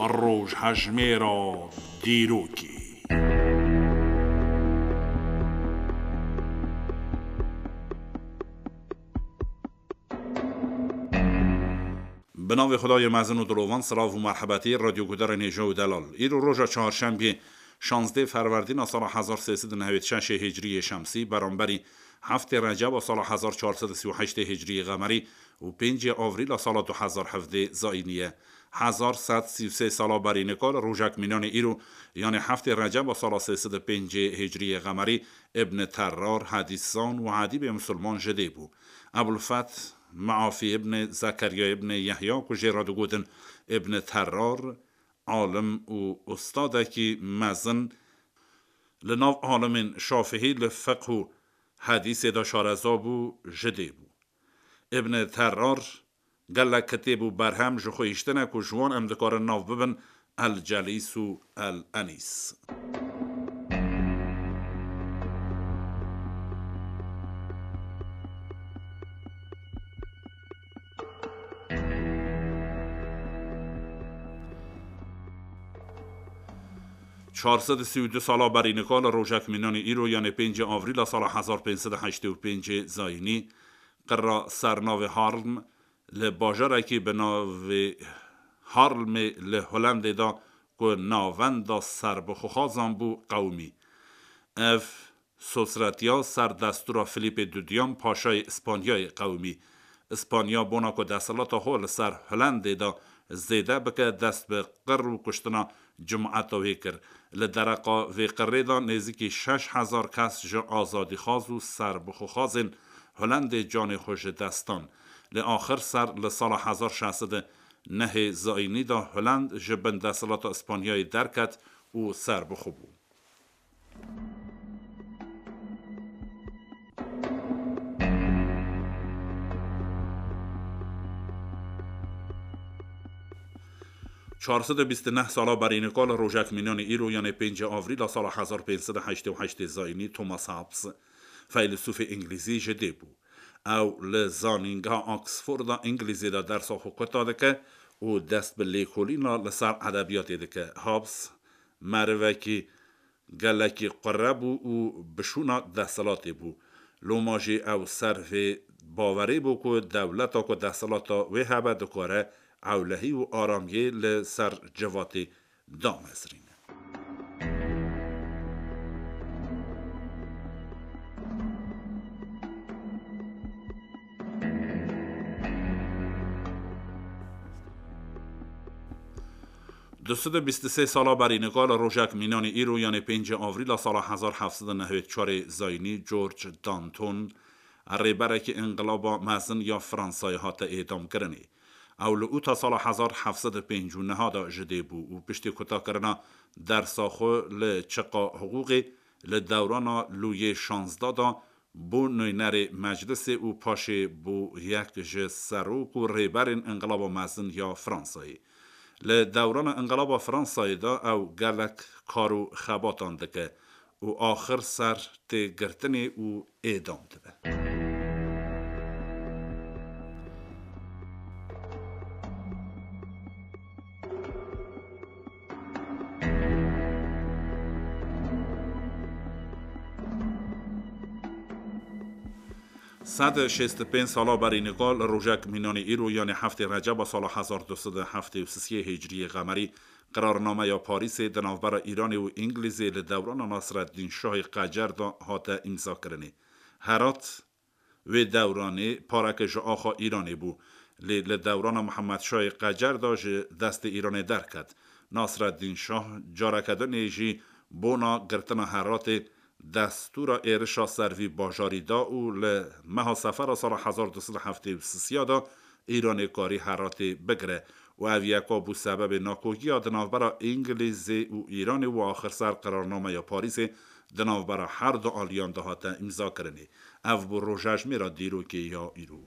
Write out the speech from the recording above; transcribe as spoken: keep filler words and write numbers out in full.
Rojhejmêra dîrokê. Bi navê Xwedayê mezin û dilovan, silav û merhebetî, radyoguhdarên hêja û delal. Îro roja çarşembiyê, şazdeh ferwerdîna sala hezar sê sed û nehwêd şeşê hicriyê şemsî, beramberî heftê receba sala hezar çar sed û sî û heştê hicriyê qemerî û pêncê avrîla sala du hezar hevdeh zayînî ye. Hezar sed sî û sê sala berî nika li rojek mînanê îro, yanê heftê receba sala sê sed û pêncê hicriyê qemerî, Ibn Terrar, hedîszan û edîbê misilman ji dê bû. Ebulfeth Meafî Ibn Zekeriya Ibn Yehya, ku jê re digotin Ibn Terrar, alim û ustadekî mezin li nav alimên şafihî li fiqh û hedîsê de şareza bû, ji dê bû. Ibn Terrar gelek kitêb û berhem ji xwe hiştine ku ji wan em dikarin nav bibin El Celîs û El Enîs. Çar sed û sî û du sala berî nika li rojek mînanê îro, yanê pêncê avrîla sala hezar pênc sed û heştê û pêncê zayînî, qirra sernavê Harlem li bajarekî bi navê Harlemê li Holendê de, ku navenda serbixwexazan bû, qewimî. Ev sosretiya ser destûra Filîpê Dudiyan, paşayê Îspanyayê, qewimî. Îspanya bona ku desthilata xwe li ser Holendê de zêde bike, dest bi qir û kuştina cemaeta wê kir. Li dereqa vê qirê de nêzîkî şeş hezar kes ji azadîxwaz û serbixwexazên Holendê canê xwe ji dest dan. Lê axir ser li sala hezar şeş sed û nehê zayînî de Holend ji bin desthilata Îspanyayê derket û serbixwe bû. Çar sed û bîst û neh sala berî nika li rojek mînanê îro, yanê pêncê avrîla sala hezar pênc sed û heştê û heştê zayînî, Thomas Hobbes, feylesûfê îngilîzî, ji dê bû. Ew li Zanîngeha Oxforda Îngilîzê de dersa xwe kuta dike û dest bi lêkolîna li ser edebiyatê dike. Hobbes merivekî gelekî qure bû û bi şûna desthilatê bû. Loma jî ew ser vê bawerê bû ku dewleta ku desthilata wê hebe dikare ewlehî û aramiyê li ser civatê damezrîne. Du sed û bîst û sê sala berî nika li rojek mînanê îro, yanê pêncê avrîla sala hezar heft sed û nehwêd çarê zayînî, George Danton, rêberekî înqilaba mezin ya Fransayê hate êdamkirinê. Ew li ûta sala hezar heft sed û pêncî û neh de ji dê bû û piştî kutakirina dersa xwe li çiqa hiqûqê, li dewrana Lûyê şazdeh de bû nûnerê meclisê û paşê bû yek ji serok û rêberên Înqilaba Mezin ya Fransayê. Li dewrana Înqilaba Fransayê de ew gelek kar û xebatan dike û axir ser tê girtinê û êdam dibe. Sed û şêst û pênc sala berî nika li rojek mînanê îro, yanê heftê Receba sala hezar du sed û heftê û sisê hicriyê qemerî, qirarnameya Parîsê di navbera Îranê û Îngilîzê li dewrana Nasreddîn Şahê Qecer de hate îmzakirinê. Herat wê dewranê pareke ji axa Îranê bû, lê li dewrana Mihemed Şahê Qecer de ji destê Îranê derket. Nasreddîn Şah careke dinê jî bona girtina Heratê destûra êrişa ser vî bajarî da û li meha Sefera sala hezar du sed û heftê û sisiya de Îranê karî Heratê bigire û ev yeka bû sebebê nakokiya di navbera Îngilîzê û Îranê û axir ser qirarnameya Parîsê di navbera her du aliyan de hate îmzakirinê. Ev bû rojejmêra dîrokê ya îro.